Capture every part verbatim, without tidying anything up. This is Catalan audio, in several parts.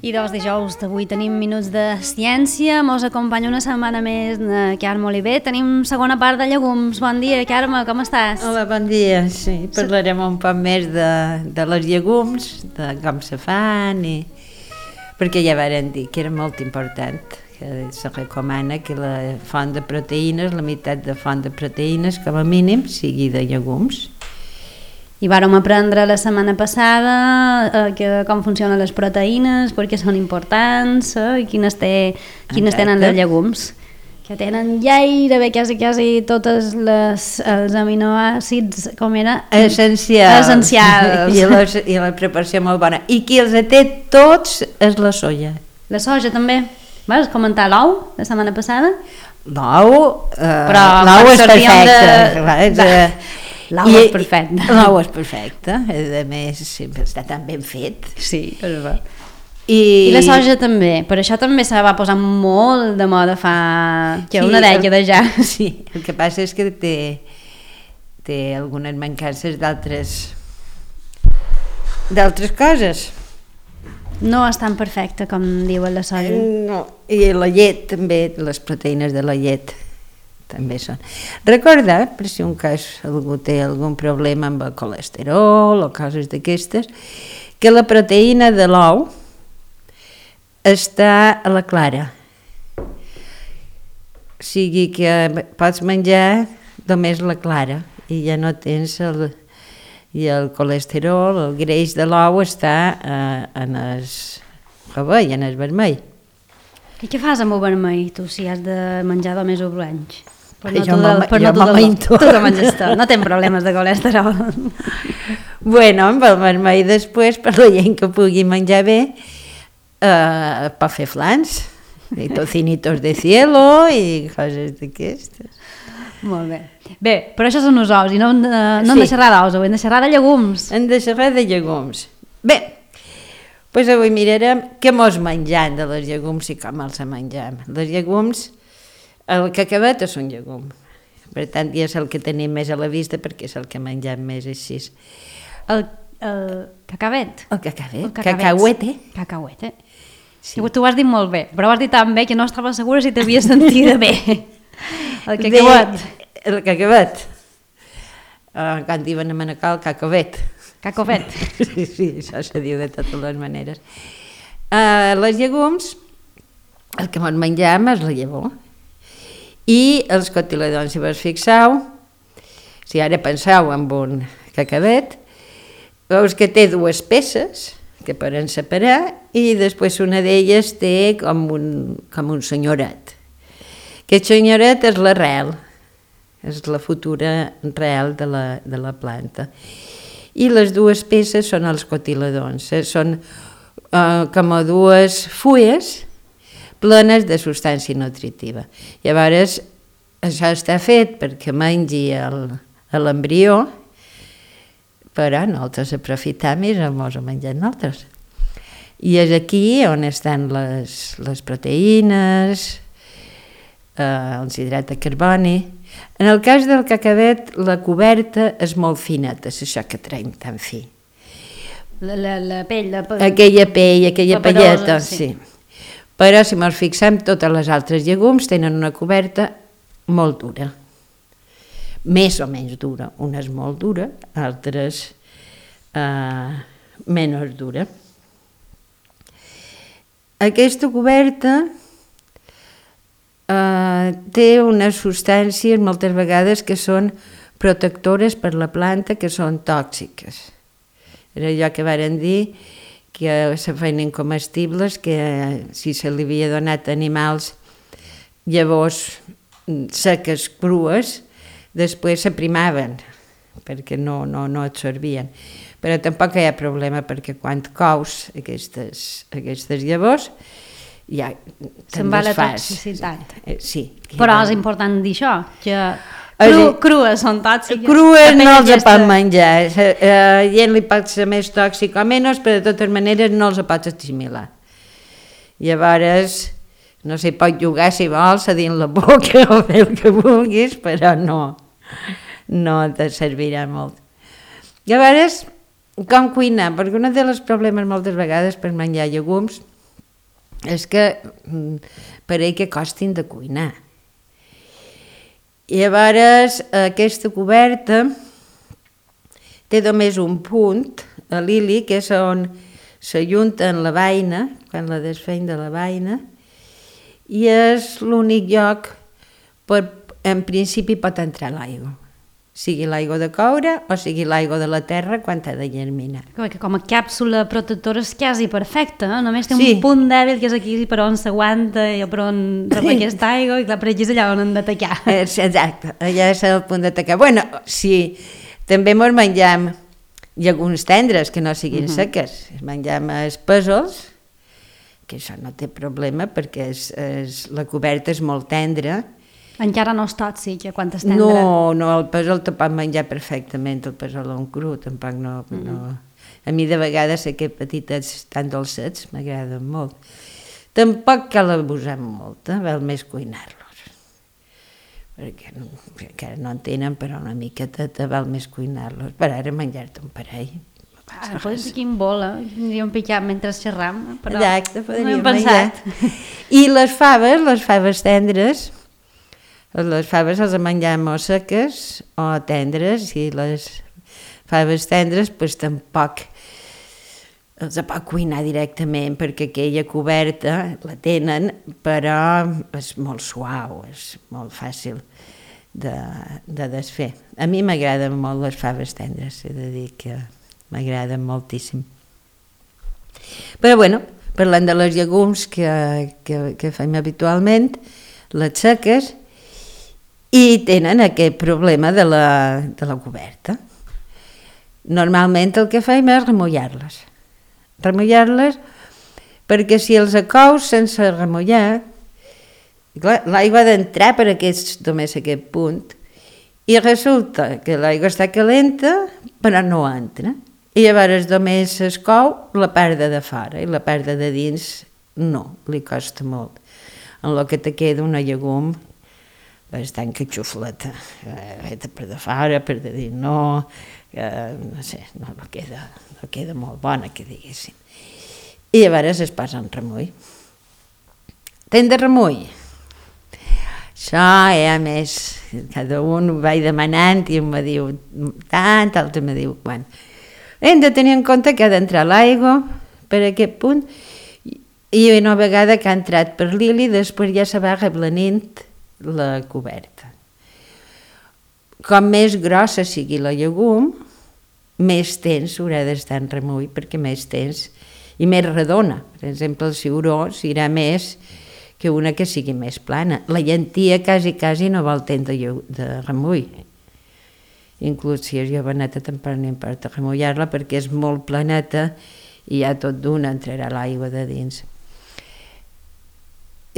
I dos dijous d'avui tenim Minuts de Ciència, mos acompanya una setmana més de Carme Oliver. Tenim segona part de llegums. Bon dia, Carme, com estàs? Hola, bon dia. Sí, parlarem un poc més de, de les llegums, de com se fan, i... perquè ja varen dir que era molt important, que se recomana que la font de proteïnes, la meitat de font de proteïnes, com a mínim, sigui de llegums. I vàrem aprendre la setmana passada eh, que, com funcionen les proteïnes, per què són importants, eh, i quines, té, quines tenen els llegums, que tenen gairebé quasi, quasi tots els aminoàcids, com era? Essencials. Essencials. I, la, I la preparació molt bona. I qui els té tots és la soja. La soja també. Vas comentar l'ou la setmana passada? L'ou, eh, però l'ou és perfecte. De... De... L'ou és perfecte. L'ou és perfecte, a més sempre està tan ben fet. Sí, és ver. I... I la soja també, per això també se va posar molt de moda fa que sí, una dècada ja. Sí, el que passa és que té, té algunes mancances d'altres d'altres coses. No és tan perfecta com diuen la soja. No, i la llet també, les proteïnes de la llet també són. Recorda, per si un cas algú té algun problema amb el colesterol o coses d'aquestes, que la proteïna de l'ou està a la clara. O sigui que pots menjar només la clara i ja no tens el, i el colesterol, el greix de l'ou està eh, en el rovell, en el vermell. I què fas amb el vermell, tu, si has de menjar només el blanc? Per no jo tu te menges tot, no tens problemes de colesterol. Bueno, amb el vermell després, per la gent que pugui menjar bé, eh, pot fer flans, i tocinitos de cielo i coses d'aquestes. Molt bé. Bé, però això són els ous, i no hem de, no hem de xerrar d'ous, hem de xerrar de llegums. Hem de xerrar de llegums. Bé, doncs avui mirarem què mos menjam de les llegums i com els menjam. Les llegums, el cacavet és un llegum, per tant ja és el que tenim més a la vista perquè és el que mengem més així. El, el cacavet? El cacavet, cacauete. Cacauete. Sí. Tu ho has dit molt bé, però ho has dit tan bé que no estava segura si t'havies sentit bé. El cacavet. De, el cacavet. Uh, quan diuen a Manacor, cacavet. Cacavet. Sí, sí, això se diu de totes les maneres. Uh, les llegums, el que ens menjam és la llavor. I els cotiledons, si vos fixeu, si ara penseu en un cacavet, veus que té dues peces que poden separar i després una d'elles té com un, com un senyoret. Aquest senyoret és l'arrel, és la futura arrel de la, de la planta. I les dues peces són els cotiledons, eh? Són eh, com a dues fulles plenes de substància nutritiva. Llavors, això està fet perquè mengi l'embrió, però nosaltres aprofitam i ens ho mengem nosaltres. I és aquí on estan les, les proteïnes, eh, els hidrats de carboni. En el cas del cacavet, la coberta és molt fineta, és això que traiem tan fi. La, la, la pell, la... Aquella pell, aquella pelleta, sí. sí. Però si ens fixem, totes les altres llegums tenen una coberta molt dura, més o menys dura, una és molt dura, altres eh, menys dura. Aquesta coberta eh, té unes substàncies moltes vegades que són protectores per la planta, que són tòxiques. Era allò que varen dir que se feien incomestibles, que si se li havia donat a animals llavors seques, crues, després s'aprimaven, perquè no, no, no absorbien. Però tampoc hi ha problema, perquè quan cous aquestes, aquestes llavors, ja se'n va la toxicitat. Sí. Però és important dir això, que Cru, crues són tòxiques. Crues no els aquesta... pot menjar. A gent li pot ser més tòxic o menys, però de totes maneres no els pots assimilar. Llavors, no s'hi pot jugar si vols a dins la boca o fer el que vulguis, però no, no te servirà molt. Llavors, com cuinar? Perquè un dels problemes moltes vegades per menjar llegums és que pareix que costin de cuinar. I llavors aquesta coberta té només un punt, a l'ili, que és on s'ajunten la beina, quan la desfeim de la beina, i és l'únic lloc per, en principi, pot entrar l'aigua. Sigui l'aigua de coure o sigui l'aigua de la terra quan ha de germinar. Que com a càpsula protectora és quasi perfecta, eh? Només té Sí. un punt dèbil que és aquí per on s'aguanta i per on rep aquesta aigua i clar, per aquí és allà on hem d'atacar. Exacte, allà és el punt d'atacar. Bueno, sí, també mos mengem llegums tendres que no siguin uh-huh. seques. Mengem els pèsols, que això no té problema perquè és, és, la coberta és molt tendra. Encara no és tòxic, quan és tendre. No, no, el pèsol te pot menjar perfectament, el pèsol en cru, tampoc no, mm. no... A mi de vegades sé que petitets tan dolcets m'agraden molt. Tampoc cal abusar molt, eh? Val més cuinar-los. Perquè no, encara no en tenen, però una miqueta te val més cuinar-los. Per ara menjar-te un parell. Ah, pots dir quin vol, eh? Tindríem picat mentre xerram, però exacte, no hem pensat. I les faves, les faves tendres, les faves les mengem o seques o tendres, i les faves tendres pues, tampoc els pot cuinar directament perquè aquella coberta la tenen, però és molt suau, és molt fàcil de, de desfer. A mi m'agraden molt les faves tendres, he de dir que m'agraden moltíssim. Però bueno, parlant de les llegums que, que, que fem habitualment, les seques, i tenen aquest problema de la, de la coberta. Normalment el que fem és remullar-les. Remullar-les perquè si els acous sense remullar, l'aigua ha d'entrar per aquest, només aquest punt, i resulta que l'aigua està calenta però no entra. I llavors només es cou la part de fora i la part de dins no, li costa molt. En el que te queda una llegum bastant catxufleta, eh, per de fora, per de dir no, eh, no sé, no, no, queda, no queda molt bona, que diguéssim. I llavors es posa en remull. Ten de remull? Això, eh, a més, cada un ho vaig demanant i un me diu tant, l'altre me diu quan. Hem de tenir en compte que ha d'entrar l'aigua per aquest punt i una vegada que ha entrat per l'ili, després ja se va reblanint la coberta. Com més grossa sigui la llegum, més temps haurà d'estar en remull, perquè més temps i més redona. Per exemple, el ciuró serà més que una que sigui més plana. La llentia quasi, quasi no vol temps de, de remull. Inclús si és joveneta tampoc no importa remullar-la perquè és molt planeta i ja tot d'una entrarà l'aigua de dins.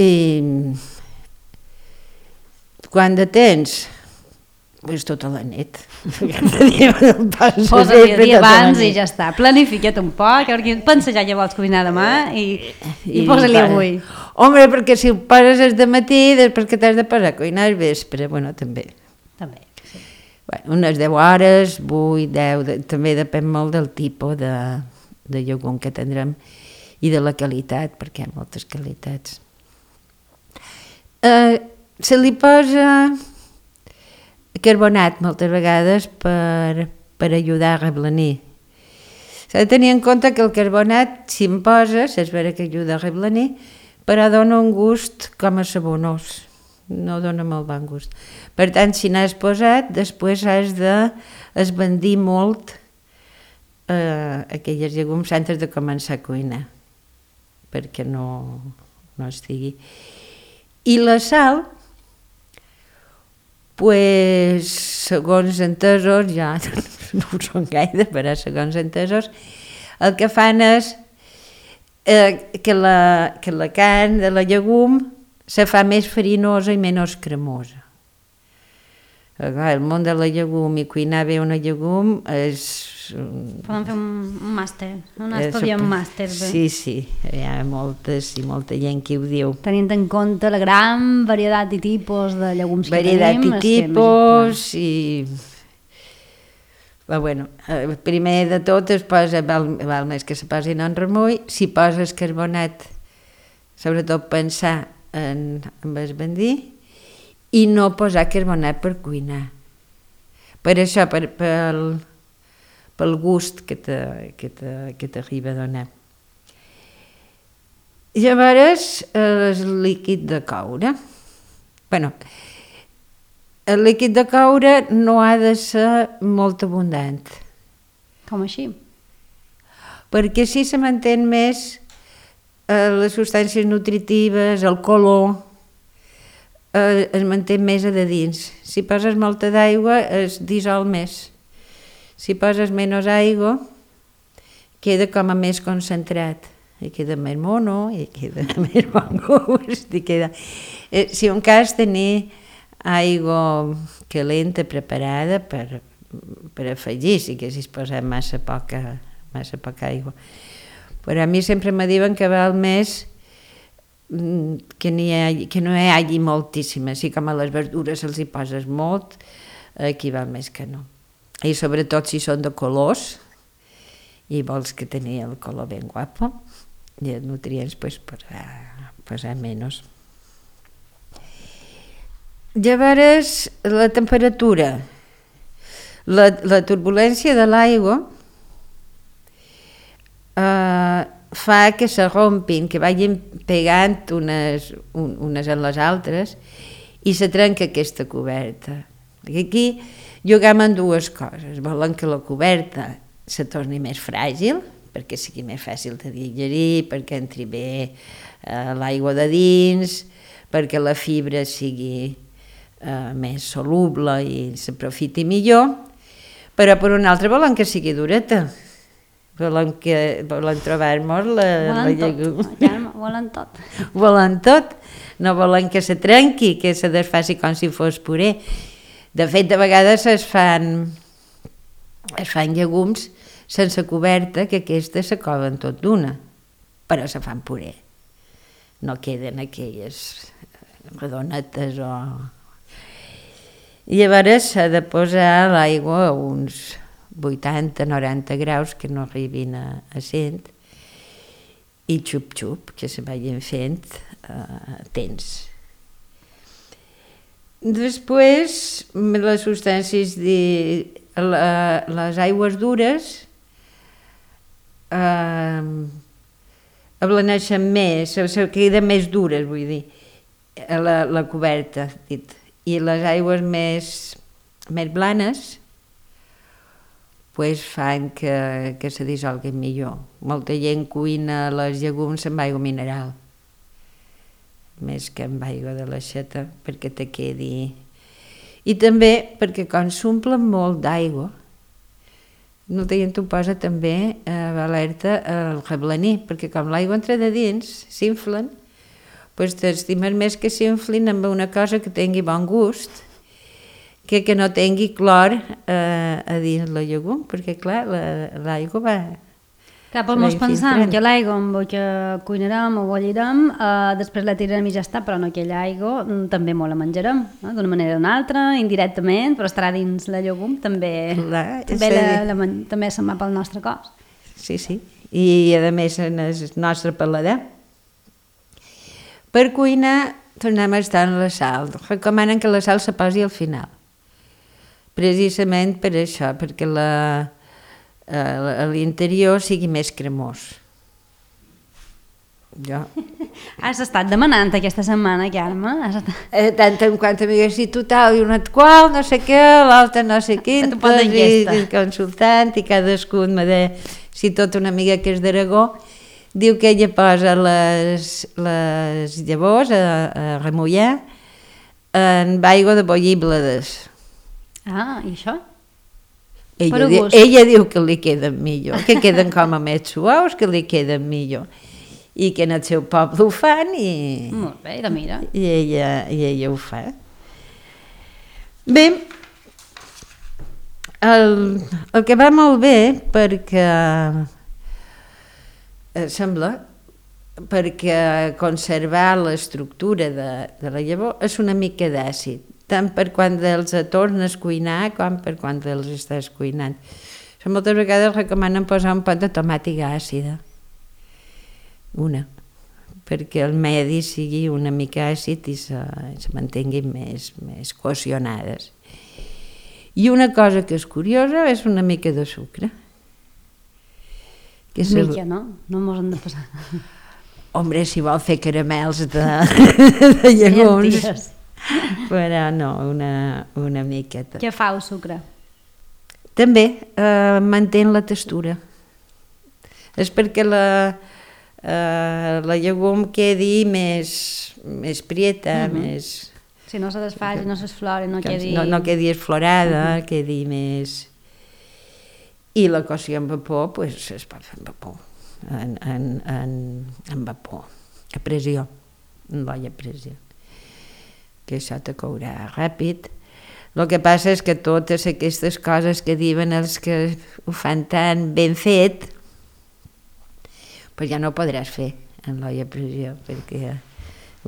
I quan de temps? Pues tota la nit. Posa-li el dia abans i ja està. Planifica't un poc, pensa ja que vols cuinar demà i, i, i posa-li avui. Home, perquè si ho poses és de matí, després que t'has de posar a cuinar al vespre, bueno, també. També, sí. Bueno, unes deu hores, vuit, deu, de, també depèn molt del tipus de, de llegum que tindrem i de la qualitat, perquè hi ha moltes qualitats. Eh, se li posa carbonat moltes vegades per, per ajudar a reblanir. S'ha de tenir en compte que el carbonat, si en poses, és vera que ajuda a reblanir, però dona un gust com a sabonós, no dona molt bon gust. Per tant, si n'has posat, després has d'esbandir molt eh, aquelles llegums antes de començar a cuinar, perquè no, no estigui. I la sal, pues, segons entesos, ja no ho són gaire, però segons entesos, el que fan és eh, que, la, que la carn de la llegum se fa més farinosa i menys cremosa. El món de la llegum i cuinar bé una llegum és... Podem fer un màster, un estudiant màster. Sí, sí, hi ha moltes i molta gent que ho diu. Tenint en compte la gran varietat i tipus de llegums que tenim. Varietat i tipus i... Però bueno, primer de tot es posa, val, val més que se posin en remull, si poses carbonat sobretot pensar en, en el bandí i no posar carbonat per cuinar. Per això, per, pel, pel gust que t'arriba a donar. Llavors, el líquid de coure. Bueno, el líquid de coure no ha de ser molt abundant. Com així? Perquè així se mantén més eh, les substàncies nutritives, el color, eh, es manté més a de dins. Si poses molta d'aigua es dissol més. Si poses menys aigua queda com a més concentrat. I queda més mono, i queda més bon gust, i queda... Eh, si un cas tenir aigua calenta preparada per, per afegir, si haguessis posat massa poca, massa poca aigua. Però a mi sempre me diuen que val més que, hagi, que no hi hagi moltíssima, així com a les verdures els hi poses molt, aquí val més que no. I sobretot si són de colors, i vols que tenir el color ben guapo, i els nutrients pues, posar, posar menys. Llavors, la temperatura, la, la turbulència de l'aigua eh, fa que se rompin, que vagin pegant unes, un, unes en les altres i se trenca aquesta coberta. Aquí juguem en dues coses. Volen que la coberta se torni més fràgil, perquè sigui més fàcil de digerir, perquè entri bé eh, l'aigua de dins, perquè la fibra sigui eh, més soluble i s'aprofiti millor, però per una altra volen que sigui dureta, volen, que, volen trobar-nos la, la llegum. Ja, volen tot. Volen tot, no volen que se trenqui, que se desfaci com si fos puré. De fet, de vegades es fan, es fan llegums sense coberta, que aquestes s'acoven tot d'una, però se fan puré. No queden aquelles redonetes o... Llavors s'ha de posar l'aigua a uns vuitanta noranta graus, que no arribin a, a cent, i xup-xup, que se vagin fent eh, tens. Després, les substàncies de la, les aigües dures eh, ablaneixen més, se queden més dures, vull dir, la, la coberta, dit. I les aigües més, més blanes pues, fan que, que se dissolguin millor. Molta gent cuina les llegums amb aigua mineral, més que amb aigua de l'aixeta, perquè te quedi... I també perquè quan s'omplen molt d'aigua, molta gent ho posa també a alerta al reblaní, perquè com l'aigua entra de dins, s'inflen, doncs t'estimes més que s'inflin amb una cosa que tingui bon gust, que que no tingui clor eh, a dins la llegum, perquè clar, l'aigua va... Clar, però mos pensam que l'aigua amb què cuinarem o bollirem, eh, després la tirarem i ja està, però no aquella aigua també molt la menjarem, no? D'una manera o d'una altra, indirectament, però estarà dins la llegum, també, clar, també, la, la, també se'n va pel nostre cos. Sí, sí, i a més en el nostre paladar. Per cuinar tornem a estar en la sal. Recomanen que la sal se posi al final, precisament per això, perquè la... a l'interior sigui més cremós. Jo. Has estat demanant aquesta setmana, Carme? Has estat... Eh, tant en quant a mi si total i una qual, no sé què, l'altra no sé quin, i, i consultant, i cadascú me deia, si tot una amiga que és d'Aragó, diu que ella posa les, les llavors a, a remullar en aigua de bollir bledes. Ah, i això? Ella, di, ella diu que li queden millor, que queden com a més suaus, que li queden millor. I que en el seu poble ho fan i... Molt bé, de mira. I ella, i ella ho fa. Bé, el, el que va molt bé, perquè eh, sembla, perquè conservar l'estructura de, de la llavor és una mica d'àcid, tant per quan els tornes a cuinar com per quan els estàs cuinant. So, moltes vegades recomanen posar un pot de tomàtica àcida, una, perquè el medi sigui una mica àcid i se, se mantinguin més, més cohesionades. I una cosa que és curiosa és una mica de sucre. Que se... Mica, no? No mos hem de passar. Hombre, si vol fer caramels de, de llegums, però no, una, una miqueta. Què fa el sucre? També eh, manté la textura. És perquè la, eh, la llegum quedi més, més prieta, uh-huh. més... Si no se desfà, si no s'esflora, no quedi... No, no quedi esflorada, uh-huh. quedi més... I la cocció en vapor, pues, es pot fer en vapor, en, en, en, en vapor, a pressió, en l'olla a pressió, que això te courà ràpid. El que passa és que totes aquestes coses que diuen els que ho fan tan ben fet, pues ja no ho podràs fer en l'olla a pressió, perquè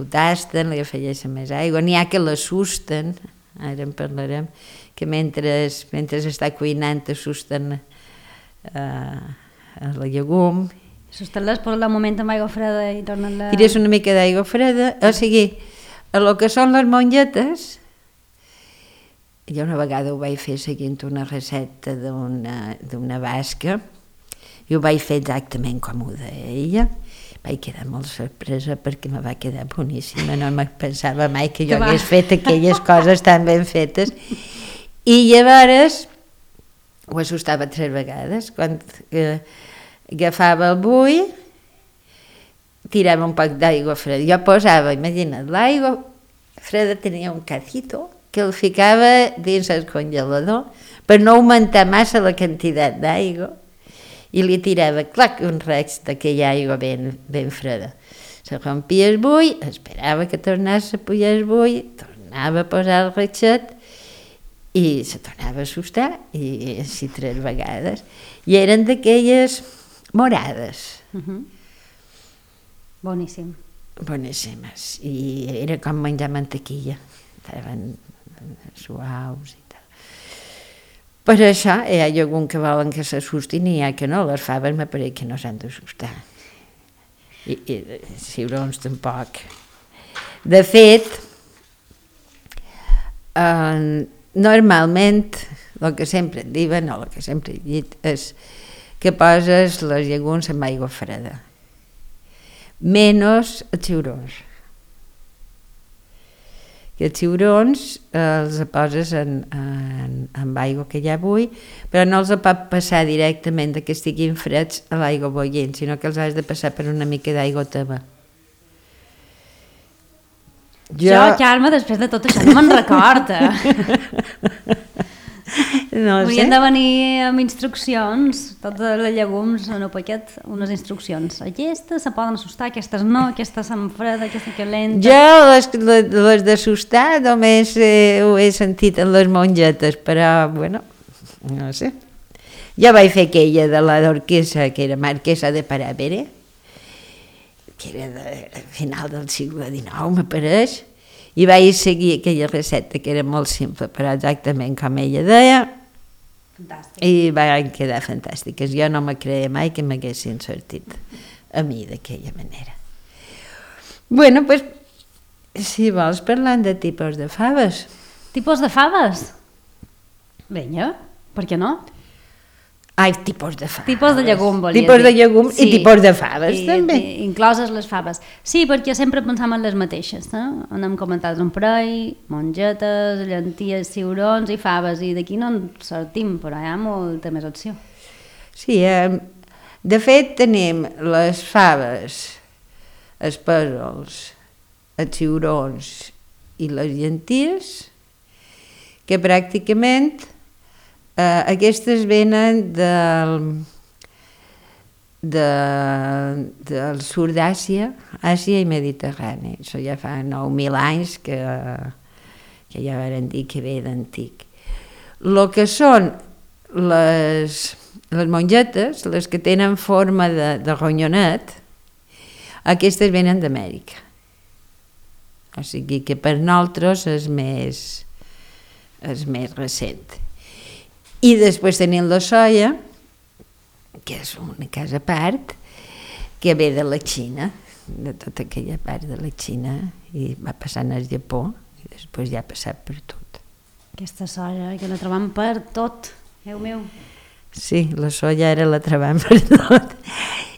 ho tasten, li afegeixen més aigua, n'hi ha que l'assusten, ara en parlarem, que mentre, mentre està cuinant assusten Uh, la llegum. Susten-les, posen el moment amb aigua freda i tornen-la... Tires una mica d'aigua freda, o sigui, a lo que són les mongetes, jo una vegada ho vaig fer seguint una recepta d'una, d'una basca, i ho vaig fer exactament com ho deia ella, vaig quedar molt sorpresa perquè me va quedar boníssima, no me pensava mai que jo hagués fet aquelles coses tan ben fetes, i llavors ho assustava tres vegades. Quan eh, agafava el bull, tirava un poc d'aigua freda. Jo posava, imagina't, l'aigua freda tenia un cacito que el ficava dins el congelador per no augmentar massa la quantitat d'aigua i li tirava, clac, un reig d'aquella aigua ben, ben freda. Se rompia el bull, esperava que tornés a pujar el bull, tornava a posar el reixet i se tornava a assustar, i així tres vegades. I eren d'aquelles morades. Uh-huh. Boníssim. Boníssimes. I era com menjar mantequilla. Estaven suaus i tal. Per això hi ha algun que volen que s'assustin i hi ha que no. Les faves m'apareix que no s'han d'assustar. I, i ciurons tampoc. De fet, eh, normalment, el que sempre et diuen, o el que sempre he dit, és que poses les llegums amb aigua freda. Menys els ciurons. Que els ciurons eh, els poses en, en, amb aigua que hi ha bull, però no els pot passar directament que estiguin freds a l'aigua bullint, sinó que els has de passar per una mica d'aigua teva. Jo, jo, Carme, després de tot això no me'n recorda. No Haurien sé. de venir amb instruccions, totes les llegums en el paquet, unes instruccions. Aquestes se poden assustar, aquestes no, aquestes són freda, aquesta calenta. Jo les, les, les d'assustar només eh, ho he sentit en les mongetes, però, bueno, no sé. Jo vaig fer aquella de la d'Orquesa, que era Marquesa de Paravere, que era de final del segle dinou, m'apareix, i vaig seguir aquella recepta que era molt simple, però exactament com ella deia. Fantàstic. I van quedar fantàstiques. Jo no me creia mai que m'haguessin sortit a mi d'aquella manera. Bueno, pues, si vols parlant de tipus de faves. Tipus de faves? Vinga, per què no? Ai, tipus de faves. Tipus de llegum, volia tipus dir. de llegum sí. I tipus de faves, I, també. I, incloses les faves. Sí, perquè sempre pensam en les mateixes. Eh? N'hem comentat un parell, mongetes, llenties, ciurons i faves, i d'aquí no en sortim, però hi ha molta més opció. Sí, eh, de fet tenim les faves, els pèsols, els ciurons i les llenties, que pràcticament Uh, aquestes venen del, de, del sud d'Àsia, Àsia i Mediterrani. Això ja fa nou mil anys que, que ja van dir que ve d'antic. El que són les, les mongetes, les que tenen forma de, de ronyonet, aquestes venen d'Amèrica. O sigui que per nosaltres és més, és més recent. I després tenim la soia, que és una casa a part, que ve de la Xina, de tota aquella part de la Xina, i va passant al Japó, i després ja ha passat per tot. Aquesta soja, que la trobam per tot, Déu meu. Sí, la soja ara la trobam per tot.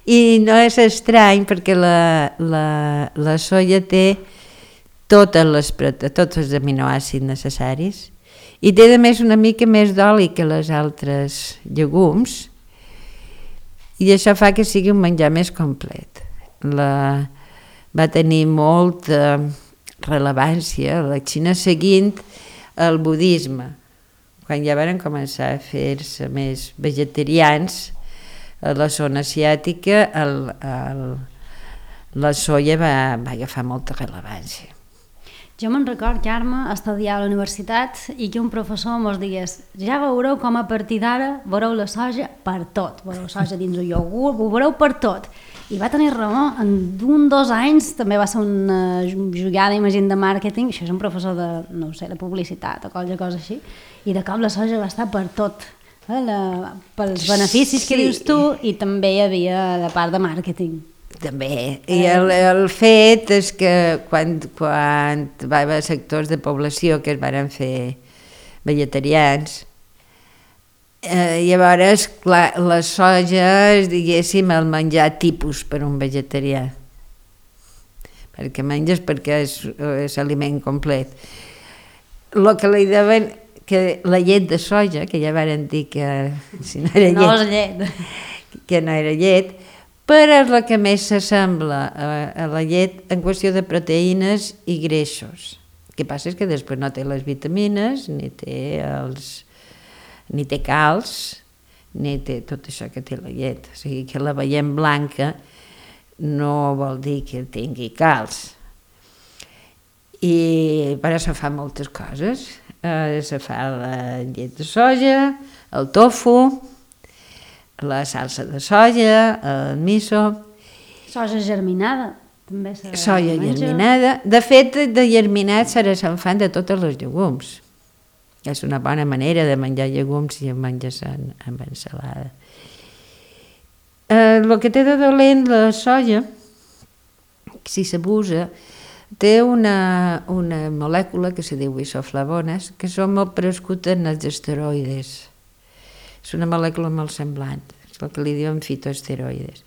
I no és estrany perquè la, la, la soja té totes les, tots els aminoàcids necessaris i té a més una mica més d'oli que les altres llegums, i això fa que sigui un menjar més complet. La, va tenir molta rellevància a la Xina seguint el budisme. Quan ja van començar a fer-se més vegetarians, a la zona asiàtica el, el, la soja va, va agafar molta rellevància. Jo me'n record, Carme, estudiar a la universitat i que un professor mos digués: ja veureu com a partir d'ara veureu la soja per tot, veureu soja dins el iogurt, ho veureu per tot. I va tenir raó, en un dos anys també va ser una jugada, imagina, de màrqueting, això és un professor de, no ho sé, de publicitat o qualsevol cosa així, i de cop la soja va estar per tot, eh? La, pels beneficis que sí. Dius tu, i també hi havia la part de màrqueting. També, i el, el fet és que quan, quan va haver sectors de població que es van fer vegetarians, eh, llavors clar, la soja és, diguéssim, el menjar tipus per un vegetarià, perquè menges perquè és, és aliment complet. El que li deuen, que la llet de soja, que ja varen dir que si no era llet, no és llet. que no era llet, però és el que més s'assembla a, a la llet en qüestió de proteïnes i greixos. El que passa és que després no té les vitamines, ni té, els, ni té calç, ni té tot això que té la llet. O sigui que la veiem blanca no vol dir que tingui calç. I per això fa moltes coses. Eh, se fa la llet de soja, el tofu, la salsa de soja, el miso... Soja germinada, també se Soja menja. germinada. De fet, de germinat s'ara se'n fan de totes les llegums. És una bona manera de menjar llegums i menjar amb ensalada. Eh, el que té de dolent la soja, si s'abusa, té una, una molècula que se diu isoflavones, que són molt prescutes en els esteroides. És una molècula molt semblant, és el que li diuen fitoesteroides.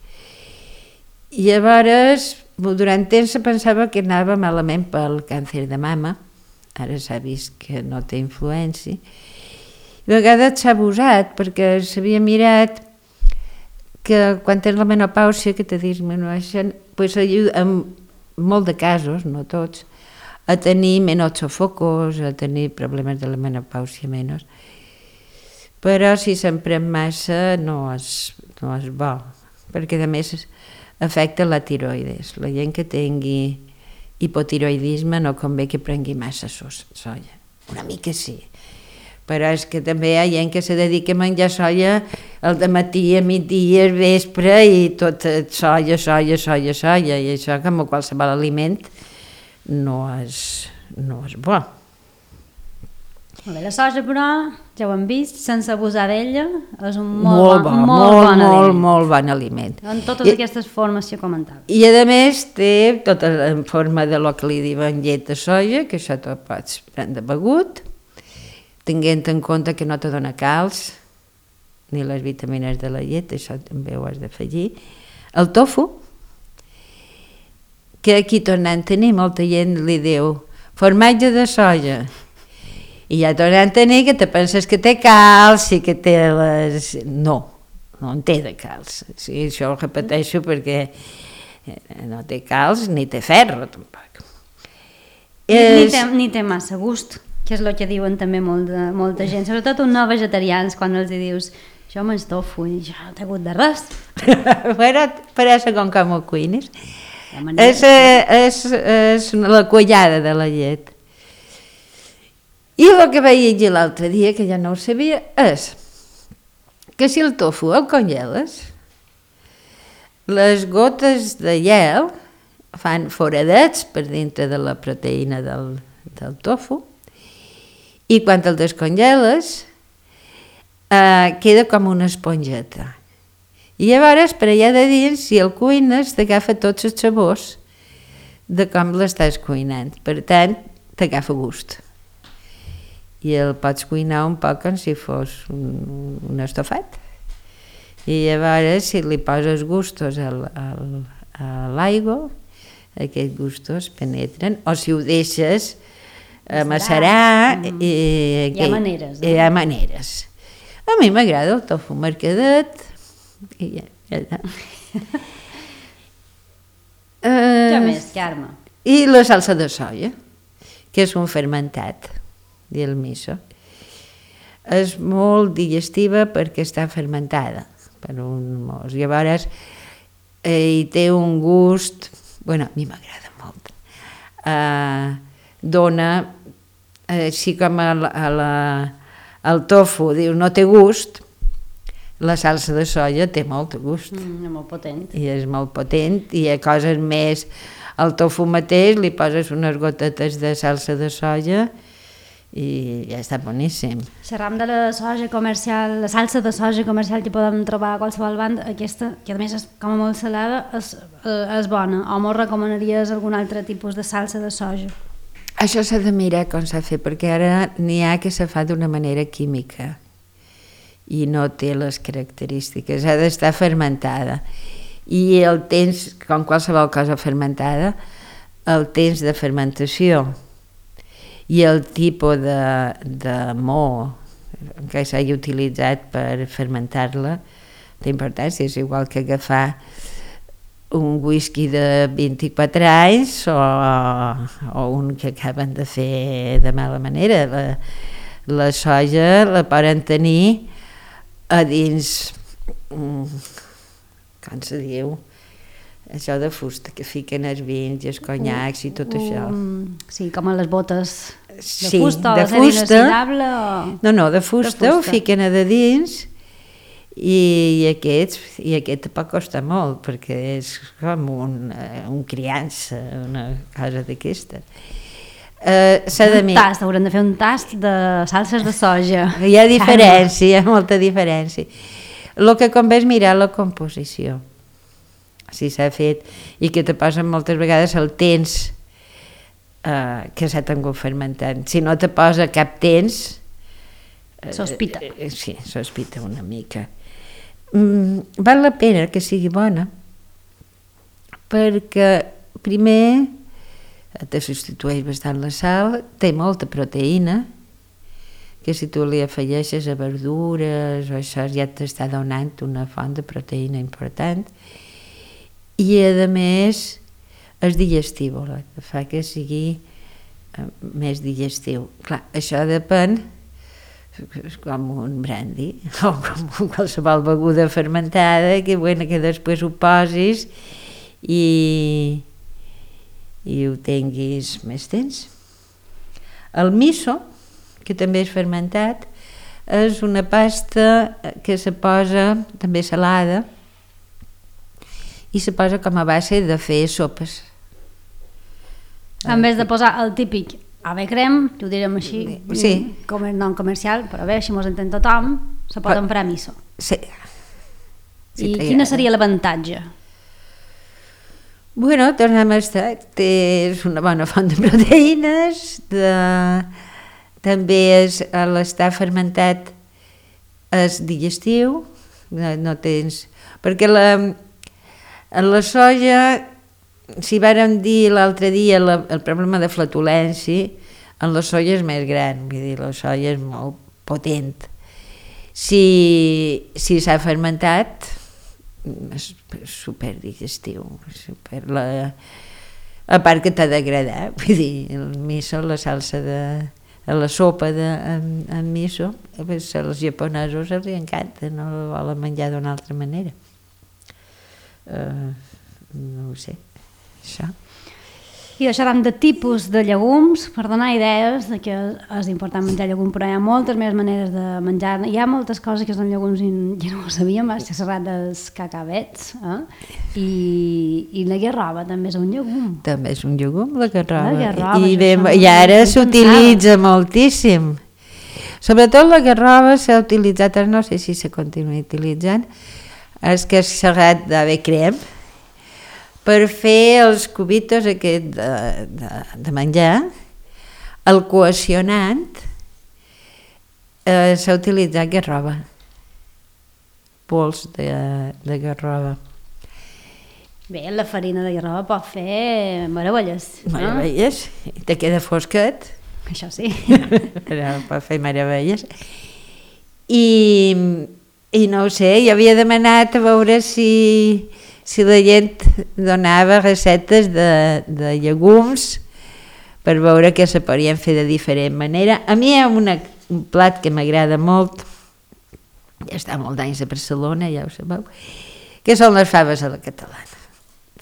I llavors, durant temps se pensava que anava malament pel càncer de mama, ara s'ha vist que no té influència, i a vegades s'ha abusat perquè s'havia mirat que quan tens la menopàusia, que te disminueixen, pues ajuda, en molt de casos, no tots, a tenir menys sofocos, a tenir problemes de la menopàusia menys. Però si se'n pren massa no és, no és bo, perquè a més afecta la tiroides. La gent que tingui hipotiroidisme no convé que prengui massa soja. Una mica sí, però és que també hi ha gent que se dedica a menjar soja al dematí, a migdia, al vespre, i tot soja, soja, soja, soja, i això, com qualsevol aliment, no és, no és bo. Molt bé, la soja, però, ja ho hem vist, sense abusar d'ella, és un molt, molt, bon, bo, molt, molt, bon molt, aliment. molt bon aliment. En totes I, aquestes formes que comentava. I a més té tota en forma de lo que li diuen llet de soja, que això te'l pots prendre begut, tenint en compte que no te dona calç, ni les vitamines de la llet, això també ho has d'afegir. El tofu, que aquí tornant a tenir, molta gent li diu formatge de soja, i ja tornant a tenir que te penses que té calç i que té les... No, no en té de calç. Sí, això ho repeteixo perquè no té calç ni té ferro, tampoc. Ni, és... ni, té, ni té massa gust, que és el que diuen també molt de, molta gent, sobretot uns no vegetarians, quan els dius jo menys tofu i jo no t'he hagut de res. Però per això com com ho cuines. És, és, és la quallada de la llet. I el que vaig llegir l'altre dia, que ja no ho sabia, és que si el tofu el congeles, les gotes de gel fan foradets per dintre de la proteïna del, del tofu, i quan el descongeles eh, queda com una esponjeta. I llavors, per allà de dins, si el cuines, t'agafa tots els sabors de com l'estàs cuinant. Per tant, t'agafa gust. I el pots cuinar un poc com si fos un, un estofat. I llavors, si li poses gustos al, al, a l'aigua, aquests gustos penetren, o si ho deixes macerar... Mm. I, hi ha maneres. Eh? Hi ha maneres. A mi m'agrada el tofu mercadet. I ja, ja. Què més, Carme? I la salsa de soia, que és un fermentat, i el miso. És molt digestiva perquè està fermentada per un mos. Llavors, eh, hi té un gust... Bueno, a mi m'agrada molt. Eh, dona, eh, així com a la, a la, el tofu, diu, no té gust, la salsa de soia té molt gust. Mm, molt potent. I és molt potent, i hi ha coses més... Al tofu mateix li poses unes gotetes de salsa de soia i ja està boníssim. Xerram de la soja comercial, la salsa de soja comercial que podem trobar a qualsevol banda, aquesta, que a més és com a molt salada, és, és bona. O m'ho recomanaries algun altre tipus de salsa de soja? Això s'ha de mirar com s'ha fet, perquè ara n'hi ha que se fa d'una manera química i no té les característiques, ha d'estar fermentada. I el temps, com qualsevol cosa fermentada, el temps de fermentació i el tipus de, de mo que s'hagi utilitzat per fermentar-la té importància. És igual que agafar un whisky de vint-i-quatre anys o, o un que acaben de fer de mala manera. La, la soja la poden tenir a dins... com se diu, això de fusta, que fiquen els vins i els conyacs i tot això. Um, sí, com a les botes de sí, fusta o de de fusta. inoxidable o... No, no, de fusta, de fusta. Ho fiquen a de dins i, i aquests, i aquest pot costar molt, perquè és com un, un criança, una cosa d'aquesta. Uh, s'ha de un tast, haurem de fer un tast de salses de soja. Hi ha diferència, hi ha molta diferència. El que convé és mirar la composició, si s'ha fet, i que te posen moltes vegades el temps eh, que s'ha tingut fermentant. Si no te posa cap temps... Eh, sospita. Eh, sí, sospita una mica. Mm, val la pena que sigui bona, perquè primer te substitueix bastant la sal, té molta proteïna, que si tu li afegeixes a verdures o això ja t'està donant una font de proteïna important, i a més és digestiu, fa que sigui més digestiu. Clar, això depèn, és com un brandy o com qualsevol beguda fermentada, que, bueno, que després ho posis i, i ho tinguis més temps. El miso, que també és fermentat, és una pasta que se posa també salada i se posa com a base de fer sopes. En vez de posar el típic ave crem, que ho direm així, sí. com el nom comercial, però bé, així mos entén tothom, se pot emprar miso. Sí. I quina seria l'avantatge? Bueno, tornem a estar, és una bona font de proteïnes, de... també és, l'estar fermentat és digestiu, no, no tens... Perquè la, la soja, si vàrem dir l'altre dia la, el problema de flatulència, en la soja és més gran, vull dir, la soja és molt potent. Si, si s'ha fermentat, és superdigestiu, super la, a part que t'ha d'agradar, vull dir, el miso, la salsa de... a la sopa de, amb, amb miso, pues, als japonesos els encanta, no la volen menjar d'una altra manera. Uh, no ho sé, això. I deixarem de tipus de llegums per donar idees de que és important menjar llegum, però hi ha moltes més maneres de menjar. Hi ha moltes coses que són llegums i ja no ho sabíem, vas xerrar dels cacavets, eh? I, i la guerroba també és un llegum. També és un llegum, la guerroba. La guerroba, I, bé, bé, i ara s'utilitza moltíssim. Sobretot la guerroba s'ha utilitzat, no sé si se continua utilitzant, és que és serrat d'ave crem per fer els cubitos aquest de, de, de menjar. El cohesionant eh, s'ha utilitzat garrova, pols de, de garrova. Bé, la farina de garrova pot fer meravelles. Meravelles, no? Te queda fosquet. Això sí. Però pot fer meravelles. I, i no ho sé, jo havia demanat a veure si, si la gent donava receptes de, de llegums per veure què se podien fer de diferent manera. A mi hi ha una, un plat que m'agrada molt, ja està molt d'anys a Barcelona, ja ho sabeu, que són les faves a la catalana.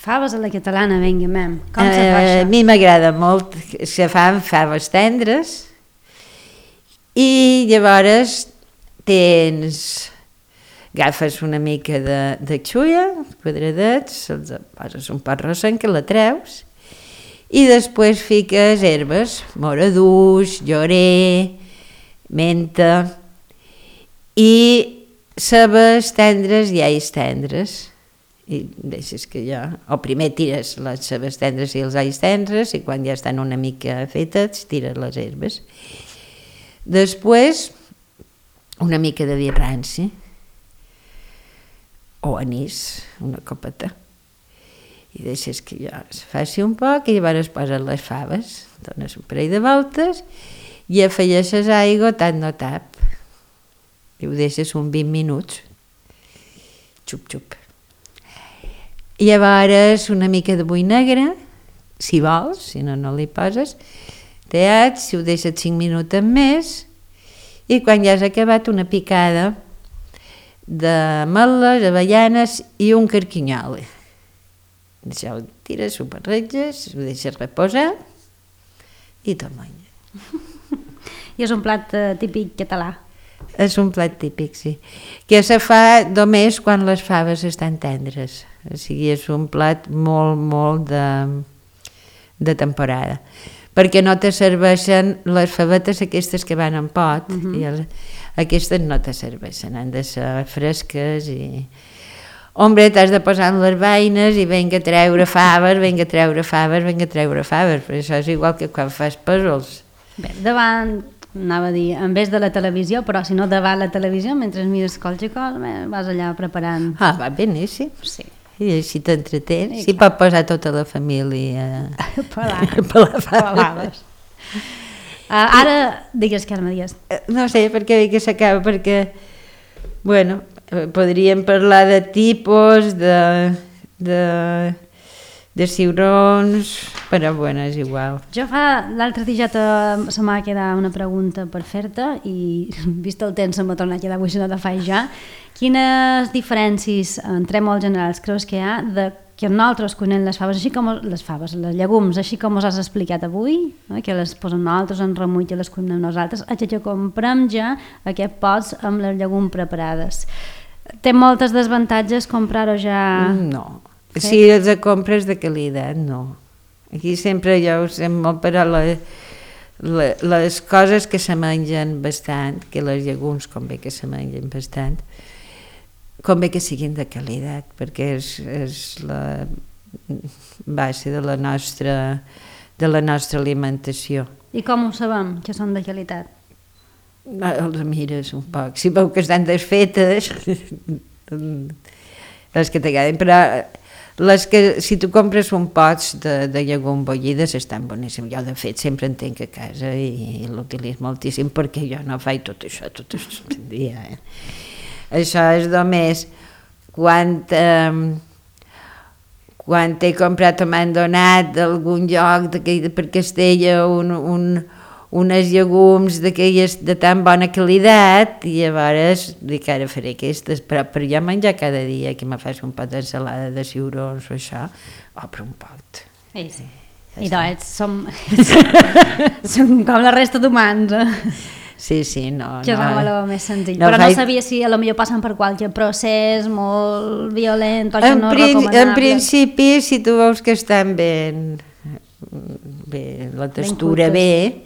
Faves a la catalana, vinga, mem. Com se fa Uh, això? a mi m'agrada molt, se fan faves tendres i llavors tens, agafes una mica de, de xulla, quadradets, els poses un pot rossent que la treus i després fiques herbes, moraduix, llorer, menta i cebes tendres i alls tendres. I deixes que ja, o primer tires les cebes tendres i els alls tendres i quan ja estan una mica fetes tires les herbes. Després una mica de vi ranci o anís, una copeta, i deixes que ja es faci un poc i llavors poses les faves, dones un parell de voltes i afegeixes aigua tant no tap i ho deixes uns vint minuts, xup xup. I llavors una mica de bull negre, si vols, si no, no li poses, teat, si ho deixes cinc minuts més, i quan ja has acabat una picada d'ametlles, avellanes i un carquinyol. Això ho tires, ho barreges, ho deixes reposar i te'l menges. I és un plat eh, típic català. És un plat típic, sí. Que se fa només quan les faves estan tendres. O sigui, és un plat molt, molt de, de temporada. Perquè no te serveixen les favetes aquestes que van en pot, uh-huh. i el, aquestes no te serveixen, han de ser fresques i... Hombre, t'has de posar en les beines i vinga a treure faves, vinga a treure faves, vinga a treure faves, però això és igual que quan fas pèsols. Bé, davant, anava a dir, en vez de la televisió, però si no davant la televisió, mentre mires qualsevol cosa, vas allà preparant... Ah, va beníssim. Sí. I així t'entretens, sí, si pot posar tota la família a pelar, pelar faves. Uh, ara, digues, Carme, digues. No sé per què dic que s'acaba, perquè, bueno, podríem parlar de tipus, de, de, de ciurons, però bueno, és igual. Jo fa, l'altre dia te, se m'ha quedat una pregunta per fer-te i vist el temps se m'ha tornat a quedar, avui si no te faig ja. Quines diferències, entre molt generals, creus que hi ha de que nosaltres cuinem les faves, així com les faves, les llegums, així com us has explicat avui, eh, que les posem nosaltres en remull i les cuinem nosaltres, a que comprem ja aquest pots amb les llegums preparades. Té moltes desavantatges comprar-ho ja... No, sí? Si els compres de qualitat, no. Aquí sempre jo ho sé molt per a la, la, les coses que se mengen bastant, que les llegums convé que se mengen bastant, convé que siguin de qualitat, perquè és, és la base de la nostra, de la nostra alimentació. I com ho sabem, que són de qualitat? Els mires un poc, si veu que estan desfetes, les que t'agraden, però les que, si tu compres un pots de, de llegum bullides estan boníssims. Jo de fet sempre en tinc a casa i, i l'utilitzo moltíssim perquè jo no faig tot això tot el dia. Eh? Això és només quan, eh, quan he comprat o m'han donat d'algun lloc de, per Castella un, un, unes llegums d'aquelles de tan bona qualitat i llavors dic ara faré aquestes, però per jo menjar cada dia que me faig un pot d'ensalada de ciurons o això, obre un pot. Sí, sí. I doncs som, som com la resta d'humans, eh? Sí, sí, no. Que és no, molt més senzill. no Però faig... no sabia si a lo millor passen per qualque procés molt violent o això en no és prin recomanable. En principi, si tu veus que estan ben, bé, la textura bé,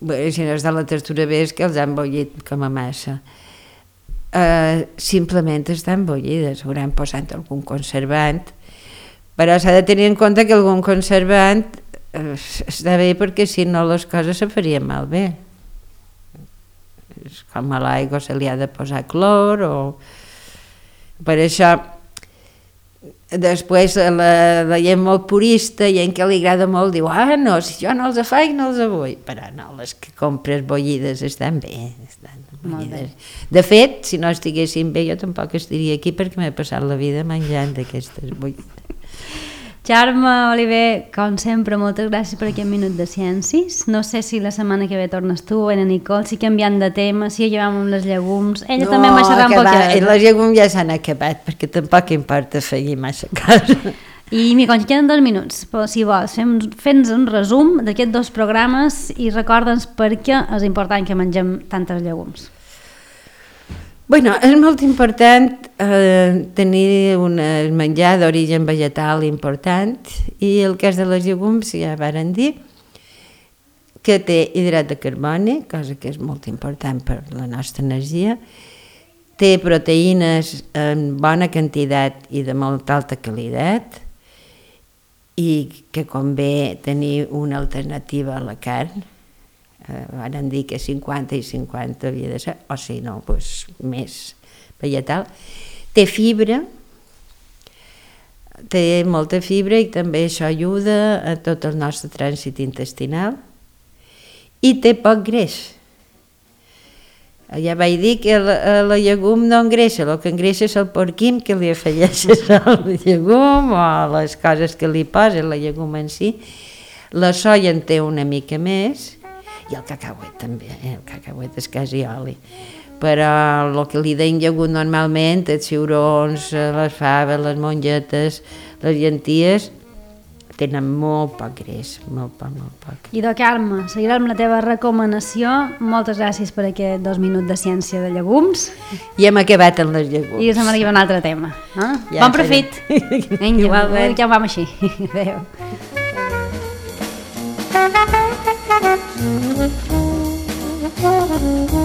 bé, si no està la textura bé és que els han bullit com a massa. eh, simplement estan bullides, hauran posat algun conservant, però s'ha de tenir en compte que algun conservant eh, està bé perquè si no les coses se farien malbé. És com a l'aigua se li ha de posar clor o... Per això després la, la gent molt purista i en què li agrada molt diu ah no, si jo no els faig no els vull, però no, les que compres bullides estan bé, estan bullides. De fet, si no estiguessin bé jo tampoc estaria aquí perquè m'he passat la vida menjant d'aquestes bullides. Carme Oliver, com sempre, moltes gràcies per aquest minut de ciències. No sé si la setmana que ve tornes tu o la Nicole, si canviant de tema, si acabem amb les llegums. Ella no, també m'ha xerrat un poquet. No, les llegums ja s'han acabat, perquè tampoc importa fer massa cosa. I mi concha, queden dos minuts, però si vols, fem-nos un resum d'aquests dos programes i recorda'ns per què és important que mengem tantes llegums. Bueno, és molt important eh, tenir un menjar d'origen vegetal important i el cas de les llegums ja varen dir que té hidrat de carboni, cosa que és molt important per la nostra energia, té proteïnes en bona quantitat i de molt alta qualitat i que convé tenir una alternativa a la carn. Eh, van dir que cinquanta i cinquanta havia de ser, o si no, doncs més vegetal. Té fibra, té molta fibra i també això ajuda a tot el nostre trànsit intestinal i té poc greix. Ja vaig dir que la, la llegum no engreixa, el que engreixa és el porquim que li afegeixes al llegum o les coses que li posa la llegum en si. La soia en té una mica més, i el cacauet també, eh? El cacauet és quasi oli, però el que li deien llegum normalment, els ciurons, les faves, les mongetes, les llenties, tenen molt poc greix, molt poc, molt poc. I de Carme, seguirem la teva recomanació. Moltes gràcies per aquest dos minuts de ciència de llegums. I hem acabat amb les llegums. I la setmana que ve un altre tema. Eh? Ja bon profit! Vinga, ja ho vam així. Adéu. Thank you.